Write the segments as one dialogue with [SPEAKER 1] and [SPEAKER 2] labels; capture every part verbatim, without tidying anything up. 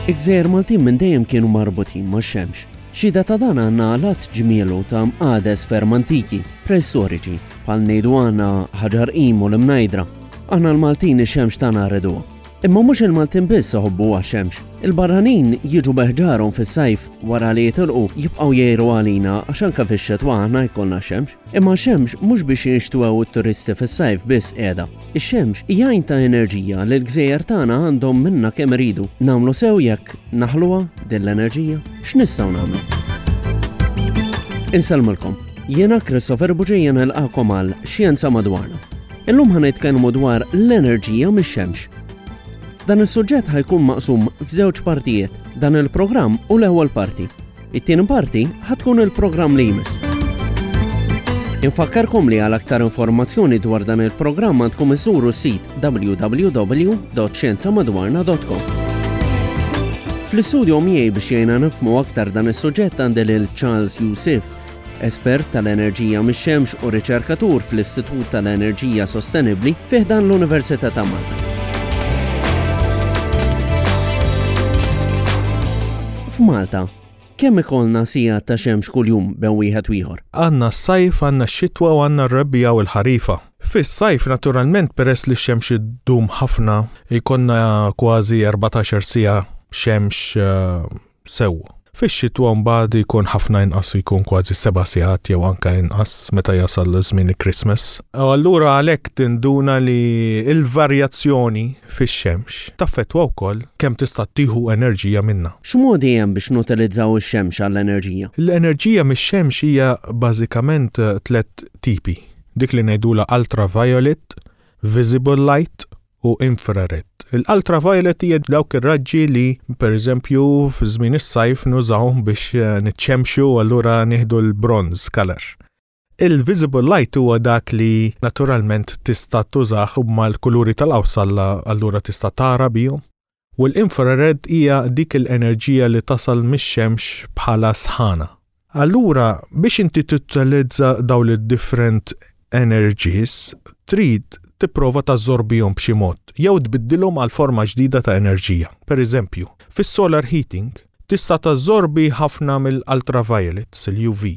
[SPEAKER 1] Il-gżejjer Maltin minn dejjem kienu marbutin max-xemx. Xhieda ta' dan għandna għadd ġmielu ta' mqades ferm antiki, preistoriċi, bħal ngħidu għandna Ħaġar Qim u l-Imnajdra. Aħna l-Maltin ix-xemx tagħna rriduha. Imma mhux il-Maltin biss iħobbu għax-xemx. Il-barranin jiġu beħġarhom fis-sajf, wara li jitilqu jibqgħu jgħiru għalina għax anke fix-xetwa aħna jkollna xemx. Imma xemx mhux biex jinxtwew it-turisti fis-sajf biss qiegħda. Ix-xemx hija għajn ta' enerġija li l-gżejjer tagħna għandhom minna kemm iridu. Nagħmlu sew jekk naħluha din l-enerġija? X'nistgħu nagħmlu? Insellmilkom. Jiena Christopher Buġejja, nilqakom għal Xjenza Madwarna. Illum ħa nitkellmu dwar l-enerġija mix-xemx. Dan is-suġġett ħa jkun maqsum f'żewġ partijiet. Dan il-programm u l-ewwel parti. It-tieni parti ħa tkun il-programm li jmiss. Infakkarkom li għal aktar informazzjoni dwar dan il-programm għandkom iżuru s-sit W W W dot xjenzamadwarna dot com. Fl-istudio miegħi biex jgħinna nifhmu aktar dan is-suġġett għandi lil Charles Yusuf, espert tal-enerġija mix-xemx u riċerkatur fl-Istitut tal-Enerġija Sostenibbli fi ħdan l-Università ta' Malta. F'Malta, kemm ikollna sigħat ta' xemx kuljum bejn wieħed u ieħor?
[SPEAKER 2] Għandna s-sajf, għandna x-xitwa u għandna r-rebbiegħa u l-ħarifa. Fis-sajf, naturalment, peress li x-xemx iddum ħafna, jkollna kważi erbatax-il siegħa xemx eh, sew. Fix-xitwa mbagħad jkun ħafna inqas, jkun kważi seba' sigħat jew anka inqas meta jasal żmien il-Christmas. U allura għalhekk tinduna li l-varjazzjoni fix-xemx taffettwa wkoll kemm tista' tieħu enerġija minnha.
[SPEAKER 1] X'modi hemm biex nutilizzaw ix-xemx għall-enerġija?
[SPEAKER 2] L-enerġija mix-xemx hija bażikament eh, tliet tipi. Dik li ngħidula ultraviolet, visible light u infrared. Il-ultraviolet hija dawk ir-raġġi li pereżempju fi żmien is-sajf nużawhom biex eh, niċċemxu u allura nieħdu l-bronze color. Il-visible light huwa dak li naturalment tista' tużah mal-kuluri tal-qawsalla, allura tista' tara bihom. U l-infrared hija dik l-enerġija li tasal mix-xemx bħala sħana. Allura, biex inti tutilizza dawn il-different energies, trid tipprova tażorbihom b'xi mod jew tbiddilhom għal forma ġdida ta' enerġija. Per eżempju, fis-solar heating tista' tażorbi ħafna mill-ultraviolets, il-U V.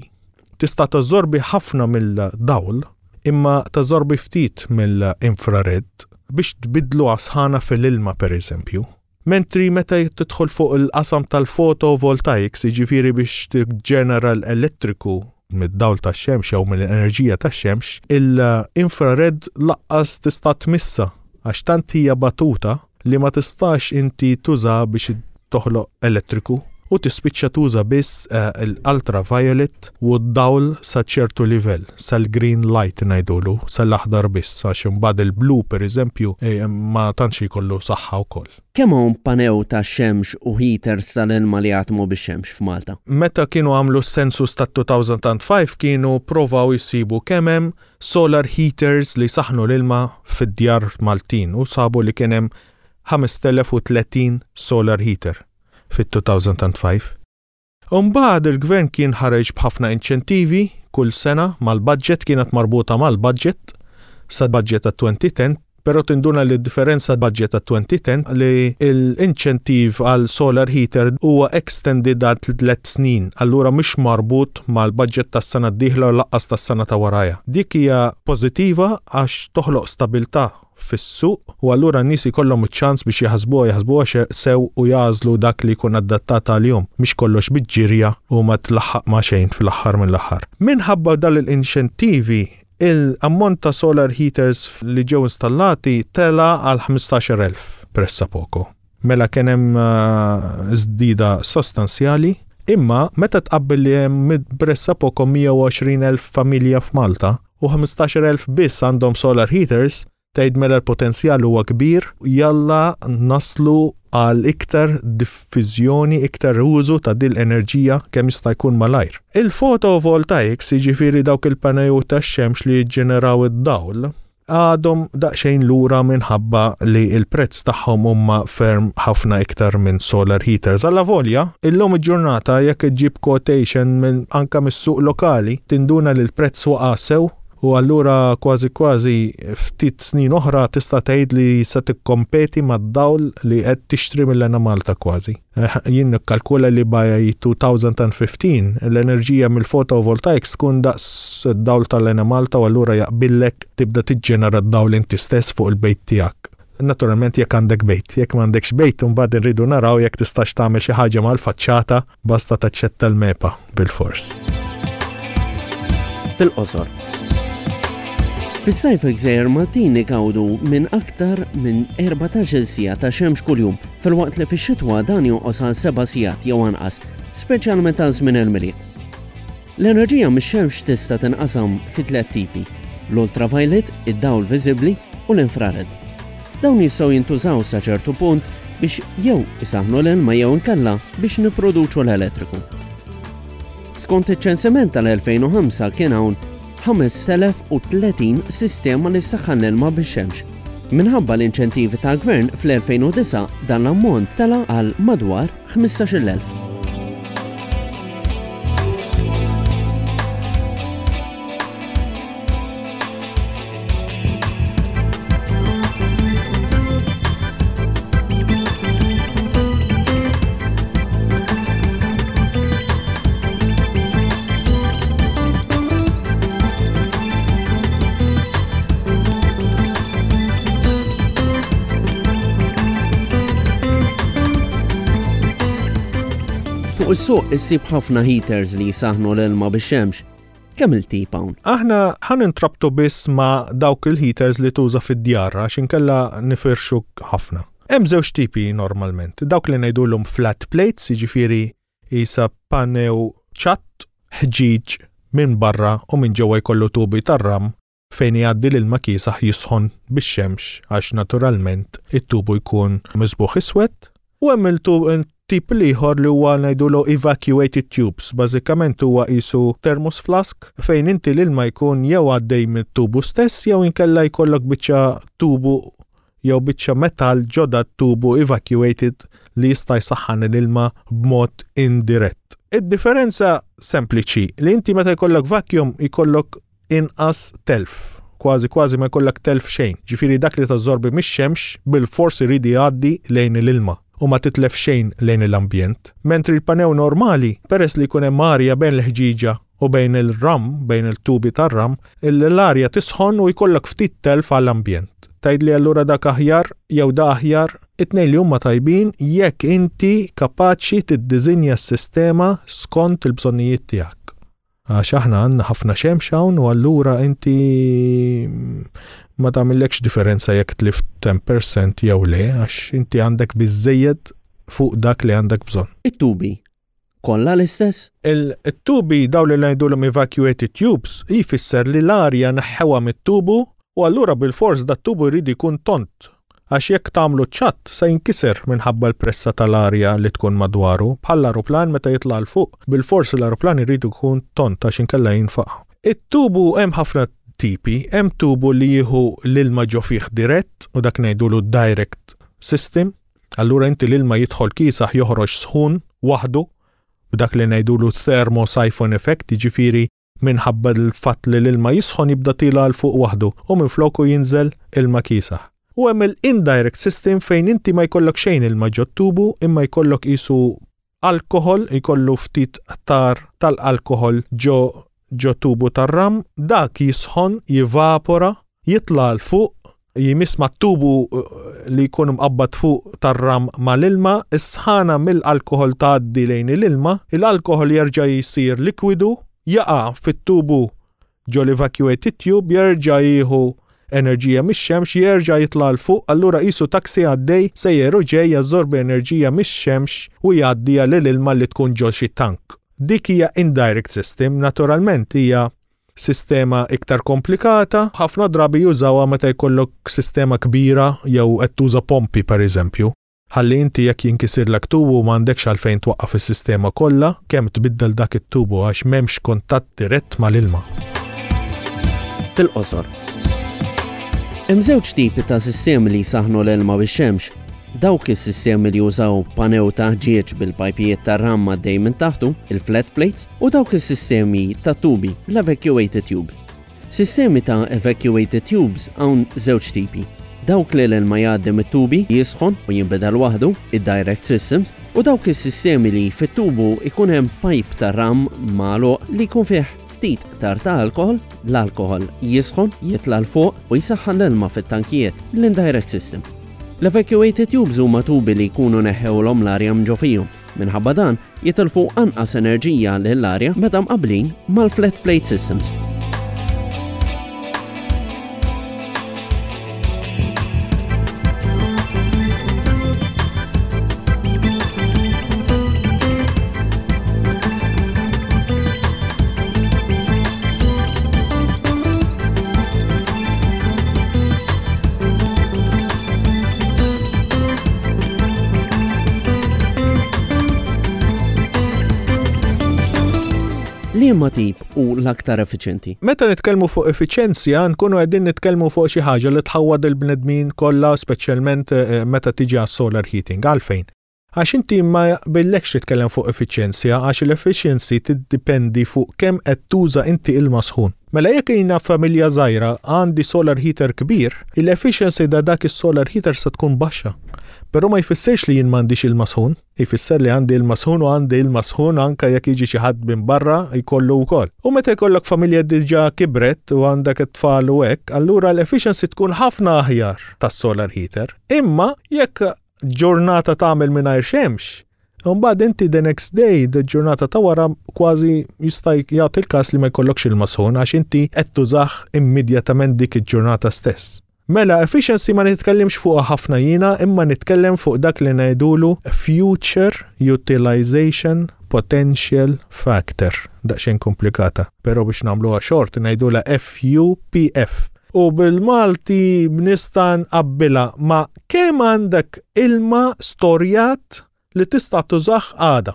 [SPEAKER 2] Tista' tażorbi ħafna mill-dawl, imma tażorbi ftit mill-infrared biex tbidlu għas-sħana fil-ilma, per eżempju. Mentri meta tidħol fuq il-qasam tal-photovoltaics, jiġifieri biex tiġġenera l-elettriku mid-dawl tax-xemx jew mill-enerġija tax-xemx, il-infrared lanqas tista' tmissa għax tant hija batuta li ma tistax inti tuża biex toħloq elettriku u tispiċċa tuża biss eh, l-ultraviolet u d-dawl sa ċertu livell, sal-green light ngħidulu, sal-aħdar biss, għax imbagħad il-blu, per eżempju, eh, ma tantx jkollu saħħa wkoll.
[SPEAKER 1] Kemm hawn pannelli ta' xemx u heaters tal-ilma li jaħdmu bix-xemx f'Malta?
[SPEAKER 2] Meta kienu għamlu s-census ta' elfejn u ħamsa kienu provaw jisibu kemm hemm solar heaters li saħnu l-ilma fid-djar Maltin u sabu li kien hemm ħamest elef u tletin solar heater fit-elfejn u ħamsa. Umbagħad il-gvern kien ħareġ b'ħafna inċentivi kull sena mal-budget, kienet marbuta mal-budget sa budget ta' elfejn u għaxra, pero tinduna li differenza budget ta' elfejn u għaxra li l-inċentiv għal solar heater huwa extended għal tliet snin, allura mhux marbut mal-budget tas-sena d-dieħla u lanqas tas-sena ta' warajha. Dik hija pożittiva għax toħloq stabilità fis-suq u allura n-nies ikollhom iċ-ċans biex jaħsbuha jaħsbuha xe- sew u jagħżlu dak li jkun adattat għalihom, mhix kollox biġġirja u ma tlaħħaq ma' xejn fl-aħħar mill-aħħar. Minħabba dal l-inċentivi, il-ammont ta' solar heaters li ġew installati tela għal ħmistax-il elf pressapoko. Mela kien hemm uh, żdida sostanzjali, imma meta tqabbel li hemm pressapoko mija u għoxrin elf familja f'Malta u ħmistax-il elf biss għandhom solar heaters, tgħid mela l-potenzjal huwa kbir, jalla naslu għal iktar diffużjoni, iktar użu ta' dil enerġija kemm jista' jkun malajr. Il-photovoltaics, jiġifieri dawk il-pannelli tax-xemx li jiġġeneraw id-dawl, għadhom daqsxejn lura minħabba li il-prezz tagħhom huma ferm ħafna iktar minn solar heaters. Alla volja, illum il-ġurnata jekk iġġib quotation minn anka mis-suq lokali, tinduna li l-prezz waqa' sew U allura kważi kważi ftit snin oħra tista' tgħid li se tikkompeti mad-dawl li qed tixtri mill-Enemalta kważi. Eh, jien nikkalkula li by twenty fifteen l-enerġija mill-photovoltaics tkun daqs id-dawl tal-Enemalta u allura jaqbillek tibda tiġġenera d-dawl inti stess fuq il-bejt tiegħek. Naturalment jekk għandek bejt, jekk m'għandekx bejt, imbagħad irridu naraw jekk tistax tagħmel xi ħaġa mal-faċċata, basta taċċetta l-MEPA bil-fors.
[SPEAKER 1] Fil-qosor. Fis-sajf il-Gżejjer Maltin igawdu minn aktar minn erbatax-il siegħa ta' xemx kuljum, filwaqt li fix-xitwa dan jonqos għal seba' sigħat jew anqas, speċjalment għal żmien il-Milied. L-enerġija mix-xemx tista' tinqasam fi tliet tipi: l-ultraviolet, id-dawl viżibbli u l-infrared. Dawn jistgħu jintużaw sa ċertu punt biex jew isaħnu l-ilma jew inkella biex nipproduċu l-elettriku. Skont iċ-ċensiment tal-elfejn u ħamsa kien hawn ħamest elef u tletin sistema li ssaħħan l-ilma bix-xemx. Minħabba l-inċentivi ta' gvern fl-elfejn u disgħa dan l-ammont tela għal madwar ħmistax-il elf. Fuq is-suq issib ħafna heaters li jisaħnu l-ilma bix-xemx. Kemm il-tip hawn?
[SPEAKER 2] Aħna ħa nintrabtu biss ma' dawk il-heaters li tuża fid-djar għax inkella nifirxu ħafna. Hemm żewġ tipi normalment. Dawk li ngħidulhom flat plates, jiġifieri isa panew ċatt ħġiġ minn barra u minn ġewwa jkollu tubi tar-ram fejn jgħaddi l-ilma kiesaħ jisħon bix-xemx għax naturalment it-tubu jkun miżbugħ iswed. U hemm il-tip l-ieħor li huwa ngħidulu evacuated tubes. Bażikament huwa qisu thermos flask fejn inti l-ilma jkun jew għaddej mit-tubu stess jew inkella jkollok biċċa tubu jew biċċa metal ġo dat-tubu evacuated li jista' jsaħħan l-ilma b'mod indirett. Id-differenza sempliċi li inti meta jkollok vacuum jkollok inqas telf, kważi kważi ma jkollok telf xejn. Ġifieri dak li tażorbi mix-xemx bil-fors irid jgħaddi lejn l-ilma u ma titlef xejn lejn l-ambjent. Mentri l-panew normali, peress li jkun hemm arja bejn l-ħġiġa u bejn il-ram, bejn il-tubi tar-ram, l-arja tisħon u jkollok ftit telf għall-ambjent. Tgħid li allura dak aħjar jew da aħjar, it-tnejn li huma tajbin jekk inti kapaċi tiddiżinja s-sistema skont il-bżonnijiet tiegħek. Għax aħna għandna ħafna xemx hawn u allura inti ma tagħmillekx differenza jekk tlift għaxra fil-mija jew le, għax inti għandek biżejjed fuq dak li għandek bżonn.
[SPEAKER 1] It-tubi kollha l-istess?
[SPEAKER 2] Il-tubi daw li ngħidulhom evacuated tubes jfisser li l-arja neħħewha mit-tubu u allura bil-fors dat-tubu jrid jkun tont. Għax jekk tagħmlu ċatt se jinkiser minħabba l-pressa tal-arja li tkun madwaru, bħal aeroplan meta jitla' 'l fuq, bil-fors l-aeroplan irid ikun tont għax inkella jinfaqa'. It-tubu hemm ħafna tipi, hemm tubu li jieħu l-ilma ġo fih dirett u dak ngħidulu direct system. Allura inti l-ilma jidħol kiesaħ, joħroġ sħun waħdu b'dak li ngħidulu thermosiphon effect, jiġifieri minħabba l-fatt li l-ilma jisħon jibda tiela' 'l fuq waħdu u minn floku jinżel ilma kiesaħ. U hemm il-indirect system fejn inti ma jkollok xejn ilma ġo tubu imma jkollok qisu alkohol, jkollu ftit tar tal-alkohol ġo ġo tubu tar-ram, dak jisħon, jivapora, jitla' 'l fuq, jmiss ma' tubu eh, li jkun mqabbad fuq tar-ram mal-ilma, is-sħana mill-alkohol tgħaddi lejn l-ilma, l-alkohol jerġa' jisir likwidu, jaqa' fit-tubu ġo l-evacuated tube, jerġa' jieħu enerġija mix-xemx, jerġa' jitla' 'l fuq, allura qisu taxi għaddej sejjer u ġej jażorbi enerġija mix-xemx u jgħaddiha lil ilma li tkun ġo xi tank. Dik hija indirect system, naturalment hija sistema iktar komplikata, ħafna drabi jużawha meta jkollok sistema kbira jew qed tuża pompi, pereżempju. Ħalli inti jekk jinkisirlek tubu m'għandekx għalfejn twaqqaf is-sistema kollha, kemm tbiddel dak it-tubu għax m'hemmx kuntatt dirett mal-ilma.
[SPEAKER 1] Fil-qosor. Hemm żewġ tipi ta' sistemi li jsaħnu l-ilma bix-xemx. Dawk is-sistemi li jużaw panew ta' ħġieġ bil-pajpijiet tar-ram għaddej minn taħtu, il-flat plates, u dawk is-sistemi ta' tubi, l-evacuated tubes. Sistemi ta' evacuated tubes hawn żewġ tipi. Dawk li l-ilma jgħaddi mit-tubi jisħon u jinbidel waħdu, id-direct systems, u dawk is-sistemi li fit-tubu ikun hemm pipe ta' ram magħluq li jkun fih ftit tar ta' alkohol, l-alkohol jisħon, jitla' 'l fuq u jisaħħan l-ilma fit-tankijiet, l-indirect system. L-evacuated tubes huma tubi li jkunu neħħewlhom l-arja minn ġo fihom. Minħabba dan, jitilfu anqas enerġija lill-arja meta mqablin mal-flat plate systems. Liema tip hu l-aktar effiċjenti?
[SPEAKER 2] Meta nitkellmu fuq effiċenzja, nkunu qegħdin nitkellmu fuq xi ħaġa li tħawwad il-bnedmin kollha, speċjalment eh, meta tiġi għas-solar heating. Għalfejn? Għax inti ma jaqbillekx titkellem fuq effiċjenzja, għax l-efficiency tiddipendi fuq kemm qed tuża inti ilma sħun. Mela jekk jiena familja żgħira għandi solar heater kbir, il-efficiency ta' dak is-solar heater se tkun baxxa. Però ma jfissirx li jien m'għandix ilma sħun, jfisser li għandi ilma sħun u għandi ilma sħun anka jekk jiġi xi ħadd minn barra jkollu wkoll. U meta jkollok familja diġà kibret u għandek it-tfal u hekk, allura l-efficiency tkun ħafna aħjar tas-solar heater. Imma jekk ġurnata tagħmel mingħajr xemx, Mbagħad inti the next day, the ġurnata ta' wara kważi jista' jagħti il-każ li ma jkollokx ilma sħun għax inti qed tużah immedjatament dik il-ġurnata stess. Mela, efficiency ma nitkellimx fuq ħafna jiena, imma nitkellem fuq dak li ngħidulu Future Utilization Potential Factor. Daqsxejn komplikata, però biex nagħmluha short ngħidulha F U P F. U bil-Malti nista' nqabbilha ma' kemm għandek ilma storjat li tista' tużah għada.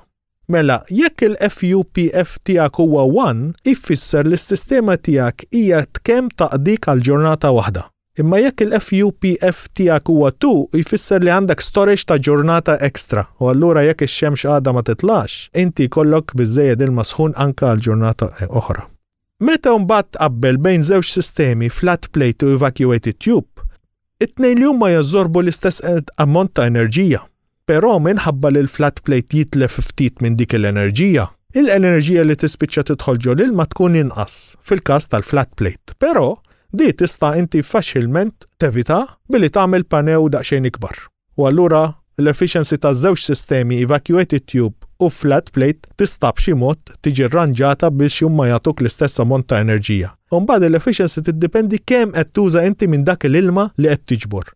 [SPEAKER 2] Mela, jekk il-F U P F tiegħek huwa wieħed, ifisser li s-sistema tiegħek hija kemm taqdik għal ġurnata waħda. Imma jekk il-F U P F tiegħek huwa tnejn, jfisser li għandek storage ta' ġurnata extra. U allura jekk ix-xemx għada ma titlax, inti jkollok biżejjed ilma sħun anka għal ġurnata oħra. Meta mbagħad tqabbel bejn żewġ sistemi, flat plate u evacuated tube, it-tnejn li huma jażorbu l-istess ammont ta' enerġija. Però minħabba li l-flat plate jitlef ftit minn dik l-enerġija, il-enerġija li tispiċċa tidħol ġo l-ilma tkun inqas fil-każ tal-flat plate. Però di tista' inti faċilment tevita billi tagħmel panew daqsxejn ikbar. U allura l-efficiency ta' żewġ sistemi, evacuated tube u flat plate, tista' b'xi mod tiġi rranġata biex huma jagħtuk l-istess ammont ta' enerġija. U mbagħad l-efficiency tiddependi kemm qed tuża inti minn dak l-ilma li qed tiġbor.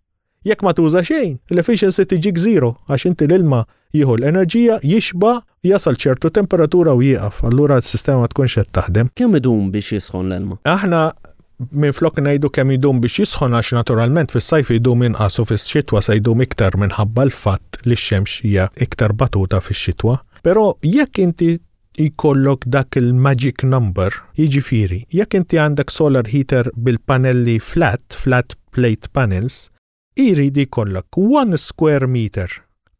[SPEAKER 2] Jekk ma tuża xejn, l-efficiency tiġik zero għax inti l-ilma jieħu l-enerġija, jixba, jasal ċertu temperatura u jieqaf. Allura s-sistema ma tkunx qed taħdem.
[SPEAKER 1] Kemm idum biex jisħon l-ilma?
[SPEAKER 2] Aħna minn flok ngħidu kemm idum biex jisħon, għax naturalment fis-sajf idum inqas u fis-xitwa se jdum iktar minħabba l-fatt li x-xemx hija iktar batuta fix-xitwa. Però jekk inti jkollok dak il-magic number, jiġifieri, jekk inti għandek solar heater bil-panelli flat, flat plate panels, irid jkollok one square meter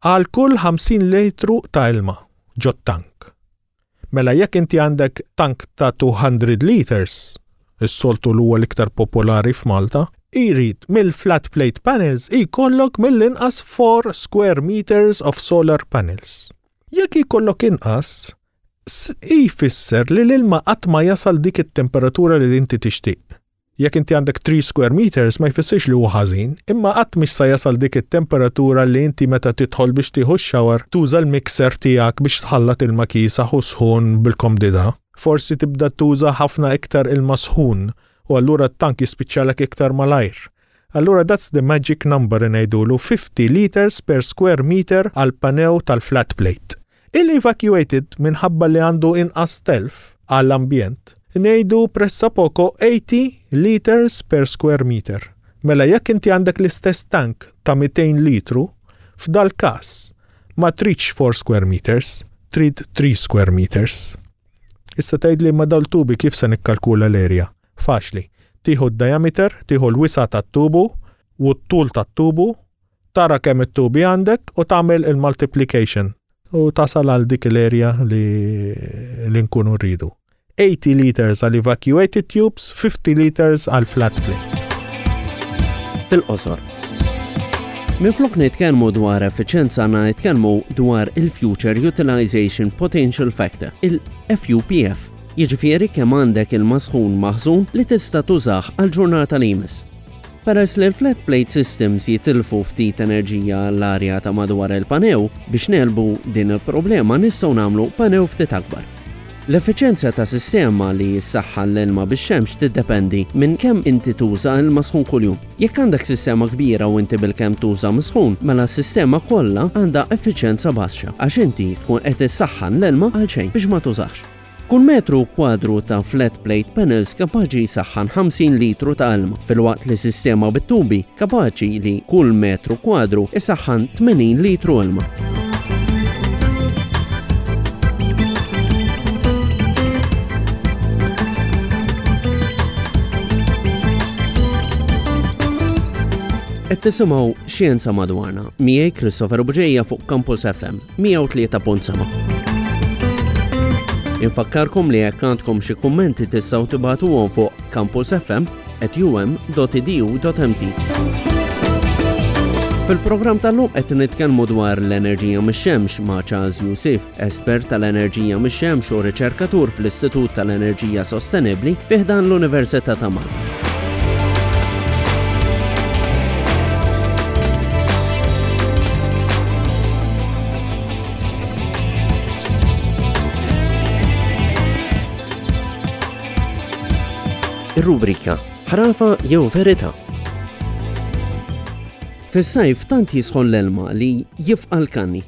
[SPEAKER 2] għal kull ħamsin litru ta' ilma ġo tank. Mela jekk inti għandek tank ta' two hundred liters, is-soltu l huwa l-iktar popolari f'Malta, irid mill-flat plate panels jkollok mill-inqas four square meters of solar panels. Jekk jkollok inqas, jfisser li l-ilma qatt ma jasal dik it-temperatura li inti tixtieq. Jekk inti għandek three square meters ma jfissirx li huwa ħażin, imma qatt mhix sa jasal dik it-temperatura li inti meta tidħol biex tieħu x-shower tuża l-mixer tiegħek biex tħallat ilma kiesaħ u sħun bil-komdità. Forsi tibda tuża ħafna iktar ilma sħun u allura t-tank jispiċċalek iktar malajr. Allura that's the magic number, ngħidulu fifty liters per square meter għal panew tal-flat plate. Il-evacuated, minħabba li għandu inqas telf għall-ambjent, ngħidu pressappoco eighty liters per square meter. Mela jekk inti għandek l-istess tank ta' mitejn litru, f'dal każ ma tridx four square meters, trid three square meters. Issa tgħid li ma dal-tubi kif se nikkalkula l-area? Faċli. Tieħu d-diameter, tieħu l-wisa tat-tubu u t-tul tat-tubu, tara kemm it-tubi għandek u tagħmel il-multiplication u tasal għal dik l-area li, li nkunu rridu. eighty liters għal evacuated tubes, fifty liters għal flat plate.
[SPEAKER 1] Fil-qosor. Minflok nitkellmu dwar effiċenza, għandna nitkellmu dwar il-Future Utilization Potential Factor, il-F U P F. Jiġifieri kemm għandek ilma sħun maħżun li tista' tużah għal ġurnata li jmiss. Peress li l-flat plate systems jitilfu ftit enerġija l-arja ta' madwar il-panew, biex negħlbu din il-problema nistgħu nagħmlu panew ftit akbar. L-effiċenza ta' sistema li jissaħħan l-ilma bix-xemx tiddependi minn kemm inti tuża ilma sħun kuljum. Jekk għandek sistema kbira u inti bilkemm tuża misħun, mela s-sistema kollha għandha effiċenza baxxa għax inti tkun qed issaħħan l-ilma għal xejn biex ma tużax. Kull metru kwadru ta' flat plate panels kapaċi jsaħħan ħamsin litru ta' ilma, filwaqt li sistema bit-tubi kapaċi li kull metru kwadru isaħħan tmenin litru ilma. Qed tisimgħu Xjenza Madwarna miegħi Christopher Bugeja fuq Campus F M mija u tlieta punt seba'. Infakkarkom li jekk għandkom xi kummenti tistgħu tibagħtuhom fuq campus F M at U M dot E D U dot M T. Fil-programm tal-lum qed nitkellmu dwar l-enerġija mix-xemx ma' Charles Youssef, espert tal-enerġija mix-xemx u riċerkatur fl-Istitut tal-Enerġija Sostenibbli fi ħdan l-Università ta' Malta. Ir-rubrika Ħrafa jew Verità. Fis-sajf tant jisħon l-ilma li jifqa' l-kanni.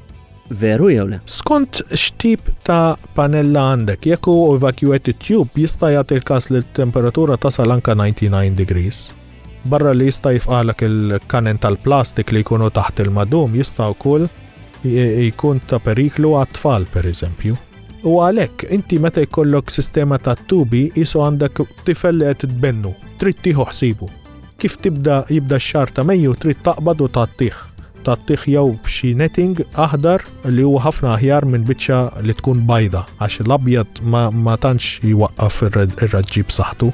[SPEAKER 1] Veru jew le?
[SPEAKER 2] Skont x'tip ta' panella għandek, jekk hu evacuated tube jista' jagħti l-każ li l-temperatura tasal anka ninety-nine degrees. Barra li jista' jifqalek il-kanen tal-plastik li jkunu taħt il-madum, jista' wkoll j-, jkun ta' periklu għat-tfal, per eżempju. U għalhekk inti meta jkollok sistema ta' tubi isu għandek tifel li qed tbennu, trid tieħu ħsibu. Kif tibda jibda x-xahar ta' Mejju trid taqbad u tgħattih. Tgħattih jew b'xi netting aħdar li huwa ħafna aħjar minn biċċa li tkun bajda, għax l-abjad ma, ma tantx jwaqqaf ir-red-, ir-raġġi b'saħħtu,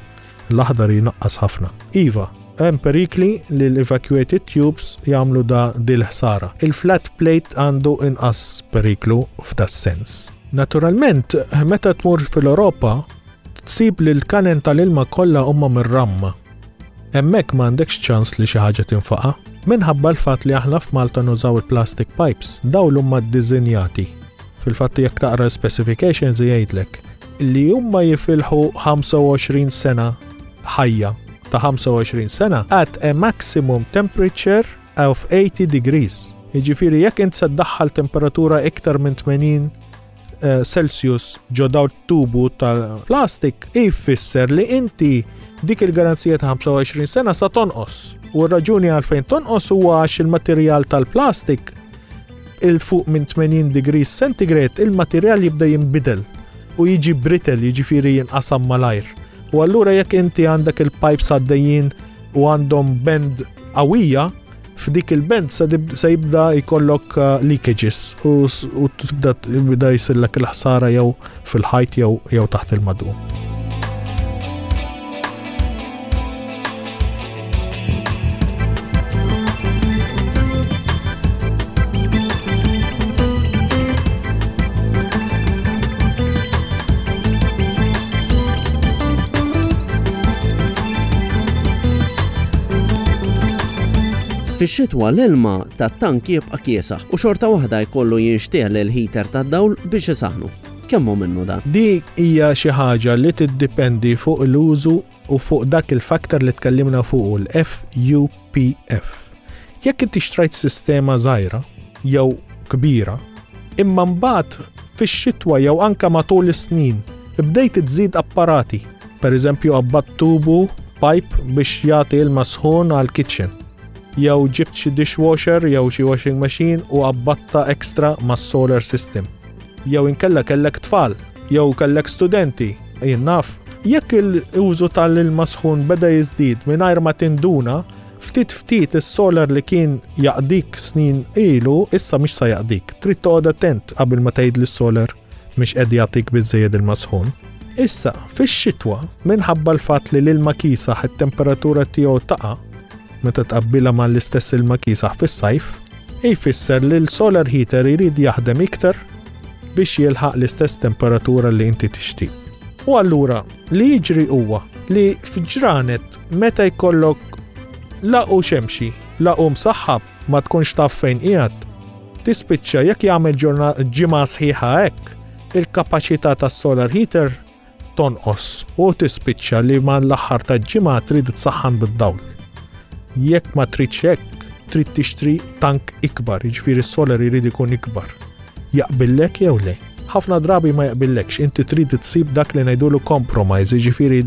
[SPEAKER 2] l-aħdar jnaqqas ħafna. Iva, hemm perikli li l-evacuated tubes jagħmlu da dil-ħsara. Il-flat plate għandu inqas periklu f'das sens. Naturalment, meta tmur fil-Ewropa, tsib li l-kanen tal-ilma kollha huma mir-ramma. Hemmhekk m'għandekx ċans li xi ħaġa tinfaqa'. Minħabba l-fatt li aħna f'Malta nużaw il-plastic pipes, dawn huma ddisinjati. Fil-fatt jekk taqra specifications jgħidlek li huma jifilħu ħamsa u għoxrin sena ħajja ta' ħamsa u għoxrin sena at a maximum temperature of eighty degrees. Jiġifieri jekk int se ddaħħal temperatura iktar minn tmenin, eh, Celsius ġo daw tubu tal-plastik, ifisser li inti dik il-garanzija ta' ħamsa u għoxrin sena sa tonqos. U r-raġuni għalfejn tonqos huwa għax il-materjal tal-plastik il fuq minn tmenin degrees centigrade il-materjal jibda jinbidel u jiġi brittle, jiġifieri jinqasam malajr. U allura jekk inti għandek il-pipes għaddejjin u għandhom bend qawwija, f'dik il-bend se dib-, se jibda jkollok, uh, leakages u s-, u tibda jibda jsirlek il-ħsara jew fil-ħajt jew, jew taħt il-madum.
[SPEAKER 1] Fix-xitwa l-ilma tat-tank jibqa' kiesaħ u xorta waħda jkollu jinxtegħel il-heater tad-dawl biex isaħnu. Kemm hu minnu dan?
[SPEAKER 2] Dik hija xi ħaġa li tiddipendi fuq l-użu u fuq dak il-faktor li tkellimna fuq l-F U P F. Jekk inti xtrajt sistema żgħira jew kbira, imma mbagħad fix-xitwa jew anke matul is-snin bdejt tżid apparati. Per eżempju, qabbadt tubu pipe biex jagħti ilma sħun għall-kitchen. Jew ġibt xi dishwasher jew xi washing machine u qabbatta ekstra mas-solar system. Jew inkella kellek tfal, jew kellek studenti, jien naf. Jekk il-użu tal-ilma sħun beda jiżdied mingħajr ma tinduna, ftit ftit is-solar li kien jaqdik snin ilu issa mhix sa jaqdik. Trid toqgħod attent qabel ma tgħid li s-solar mhix qed jagħtik biżżejjed ilma sħun. Issa, fix-xitwa, minħabba l-fatt li l-ilma kisaħ it-temperatura tiegħu taqa' meta tqabbilha mal-istess ilma kisaħ fis-sajf, jfisser li l-solar heater irid jaħdem iktar biex jilħaq l-istess temperatura li inti tixtieq. U allura li jiġri huwa li f'ġranet meta jkollok la hu xemxi, la hu msaħħab, ma tkunx taf fejn qiegħed, tispiċċa jekk jagħmel ġimgħa sħiħa hekk, il-kapaċità tas-solar heater tonqos u tispiċċa li ma l-aħħar ta' ġimgħa trid tsaħħan bid-dawl. Jekk ma tridx hekk, trid tixtri tank ikbar, jiġifieri s-solar jrid ikun ikbar. Jaqbillek jew le? Ħafna drabi ma jaqbillekx, inti trid tsib dak li ngħidulu compromise, jiġifieri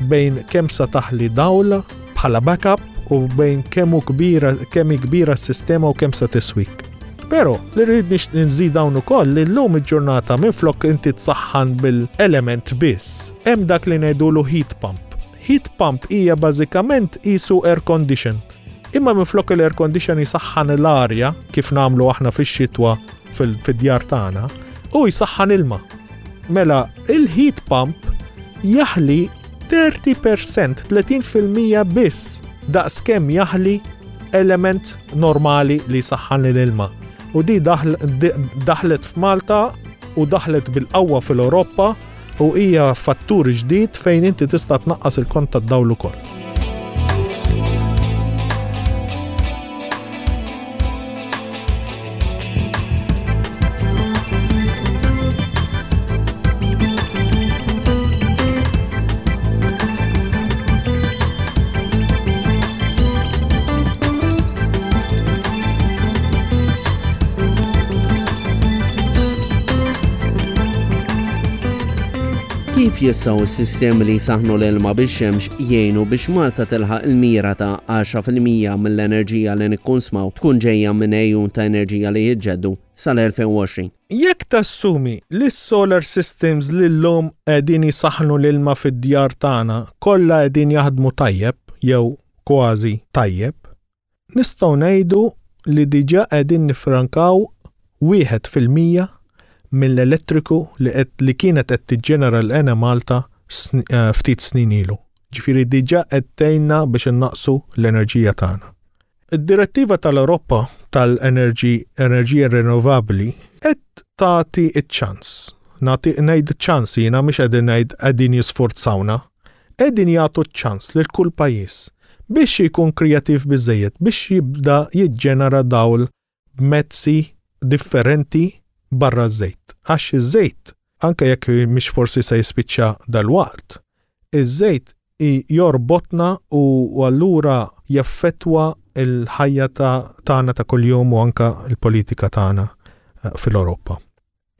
[SPEAKER 2] bejn kemm sa taħli dawl bħala backup u bejn kemm hu kbira kemm hi kbira s-sistema u kemm sa tiswik. Però li rrid nżid dawn ukoll li llum il-ġurnata minflok inti tsaħħan bil-element biss, hemm dak li ngħidulu heat pump. Heat pump hija bażikament qisu air condition. Imma minflok l-air condition jisaħħan l-arja kif nagħmlu aħna fix-xitwa fil-djar tagħna, u jisaħħan ilma. Mela, il-heat pump jaħli tletin fil-mija, tletin fil-mija biss daqs kemm jaħli element normali li jsaħħan l-ilma. U di daħlet f'Malta u daħlet bil-qawwa fil-Ewropa u hija fattur ġdid fejn inti tista' tnaqqas il-kont tad-dawl ukoll.
[SPEAKER 1] Kif jistgħu s-sistemi li jsaħnu l-ilma bix-xemx jgħinu biex Malta tilħaq il-mira ta' għaxra fil-mija mill-enerġija li nikkonsmaw tkun ġejja minn għejun ta' enerġija li jiġġeddu sal-elfejn u għoxrin?
[SPEAKER 2] Jekk tassumi li s-solar systems li llum qegħdin jisaħnu l-ilma fid-djar tagħna kollha qegħdin jaħdmu tajjeb jew kważi tajjeb, nistgħu ngħidu li diġà qegħdin nifrankaw wieħed fil-mija mill-elettriku li, li kienet qed tiġġenera l-Enemalta eh, ftit snin ilu. Ġifieri diġà qed tgħinna biex innaqsu l-enerġija tagħna. Id-direttiva tal-Ewropa tal-enerġija rinnovabbli qed tagħti ċ-ċans. Nagħti ngħid ċans jiena, mhux qegħdin ngħid qegħdin jisforzawna. Qegħdin jagħtu ċ-ċans lil kull pajjiż biex jkun kreattiv biżejjed biex jibda jiġġenera dawl b'mezzi differenti barra ż-żejt. Għax iż-żejt, anke jekk mhix forsi se jispiċċa dal-waqt, iż-żejt jorbotna u allura jaffettwa il-ħajja tagħna ta' kuljum u anka il-politika tagħna eh, fil-Ewropa.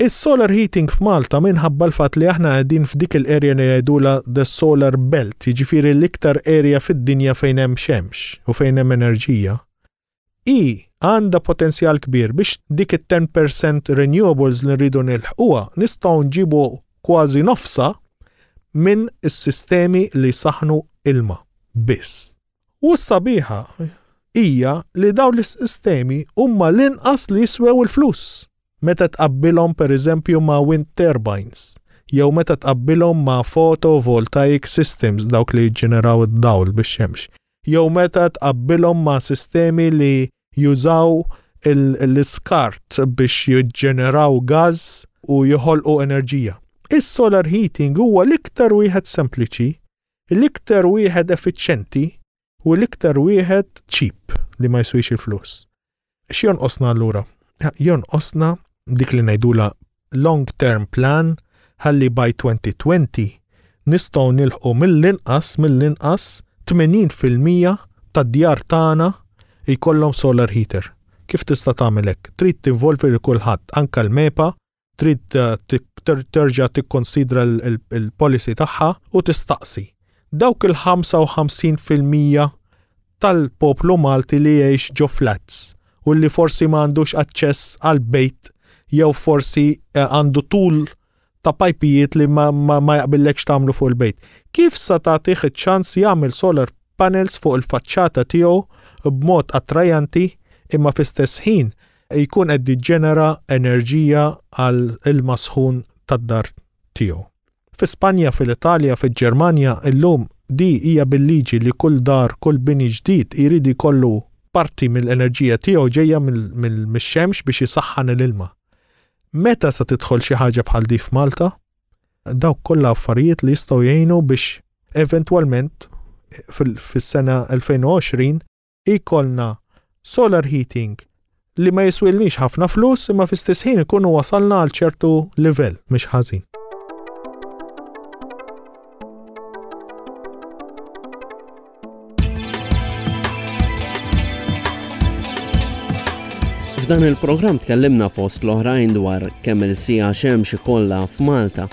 [SPEAKER 2] Is-solar heating f'Malta, minħabba l-fatt li aħna qegħdin f'dik il-area li jgħidula the solar belt, jiġifieri l-iktar area fid-dinja fejn hemm xemx u fejn hemm enerġija, i għandha potenzjal kbir biex dik it-ten percent renewables li rridu nilħquha nistgħu nġibu kważi nofsa minn is-sistemi li saħnu ilma biss. U s-sabiħa hija li dawn l-sistemi huma l-inqas li jiswew il-flus meta tqabbilhom, pereżempju, ma' wind turbines jew meta tqabbilhom ma' photovoltaic systems, dawk li jiġġeneraw id-dawl bix-xemx, jew meta tqabbilhom ma' sistemi li jużaw l-iskart biex jiġġeneraw gas u joħolqu enerġija. Is-solar heating huwa l-iktar wieħed sempliċi, l-iktar wieħed effiċjenti u l-iktar wieħed cheap li ma jiswix il-flus. X'jonqosna allura? Jonqosna dik li ngħidula long term plan ħalli by twenty twenty nistgħu nilħqu mill-inqas mill-inqas tmenin fil-mija tad-djar tagħna jkollhom solar heater. Kif tista' tagħmel hekk? Trid tinvolvi lil kulħadd, anke l-MEPA trid eh, terġa' tikkonsidra l-policy tagħha u tistaqsi dawk il-ħamsa u ħamsin fil-mija tal-poplu Malti li jgħix ġo flats u li forsi ma għandux aċċess għal bejt jew forsi eh, għandu tul ta' pajpijiet li ma, ma, ma jaqbillekx tagħmlu fuq il-bejt. Kif sa tagħtih iċ-ċans jagħmel solar panels fuq il-faċċata tiegħu b'mod attrajanti imma fl-istess ħin jkun qed jiġġenera enerġija għal ilma sħun tad-dar tiegħu? Fi Spanja, fil-Italja, fil-Ġermanja, illum di hija bil-liġi li kull dar, kull bini ġdid jrid ikollu parti mill-enerġija tiegħu ġejja mill-xemx biex jisaħħan l-ilma. Meta sa tidħol xi ħaġa bħal di f'Malta? Dawk kollha affarijiet li jistgħu jgħinu biex eventwalment fis-sena elfejn u għoxrin ikollna solar heating li ma jiswilniex ħafna flus, imma fl-istess ħin ikunu wasalna għal ċertu livell mhux ħażin.
[SPEAKER 1] F'dan il-programm tkellimna fost l-oħrajn dwar kemm il-siegħa xemx ikollha f'Malta,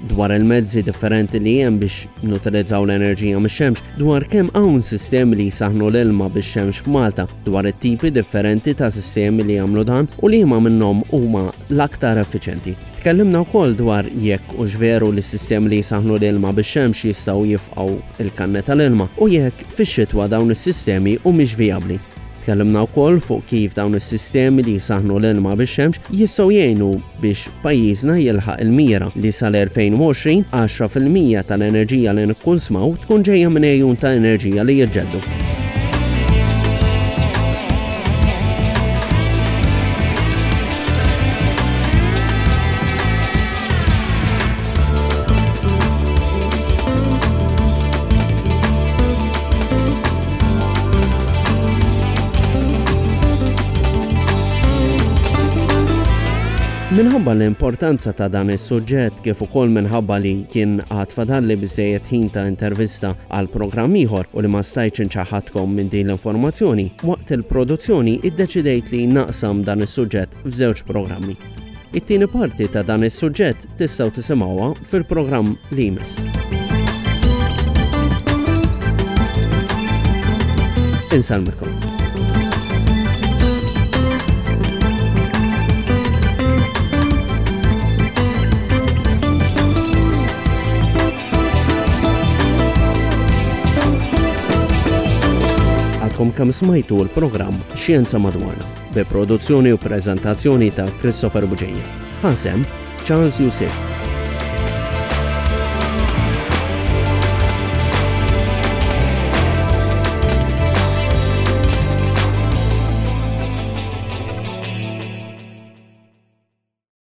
[SPEAKER 1] dwar il-mezzi differenti li hemm biex nutilizzaw l-enerġija mix-xemx, dwar kemm hawn sistemi li jsaħnu l-ilma bix-xemx f'Malta, dwar it-tipi differenti ta' sistemi li jagħmlu dan u li huma minnhom huma l-aktar effiċenti. Tkellimna wkoll dwar jekk hux veru li s-sistemi li jsaħnu l-ilma bix-xemx jistgħu jifqgħu il-kanne tal-ilma u jekk fix-xitwa dawn is-sistemi humiex vijabbli. Tkellimna wkoll fuq kif dawn is-sistemi li jsaħnu l-ilma bix-xemx jistgħu jgħinu biex pajjiżna jilħaq il-mira li sal-elfejn u għoxrin għaxra fil-mija tal-enerġija li nikkunsmaw tkun ġejja minn għejun ta' enerġija li jiġġeddu. Minħabba l-importanza ta' dan is-suġġett, kif ukoll minħabba li kien għad fadalli biżejjed ħin ta' intervista għal programm ieħor u li ma stajtx inċaħħadkom minn din l-informazzjoni, waqt il-produzzjoni iddeċidejt li naqsam dan is-suġġett f'żewġ programmi. It-tieni parti ta' dan is-suġġett tistgħu tisimgħuha fil-programm li jmiss. Insellmilkom. Għadkom kemm smajtu l-programm Xjenza Madwarna bi produzzjoni u prezentazzjoni ta' Christopher Bugeja. Ħasem Charles Youssef.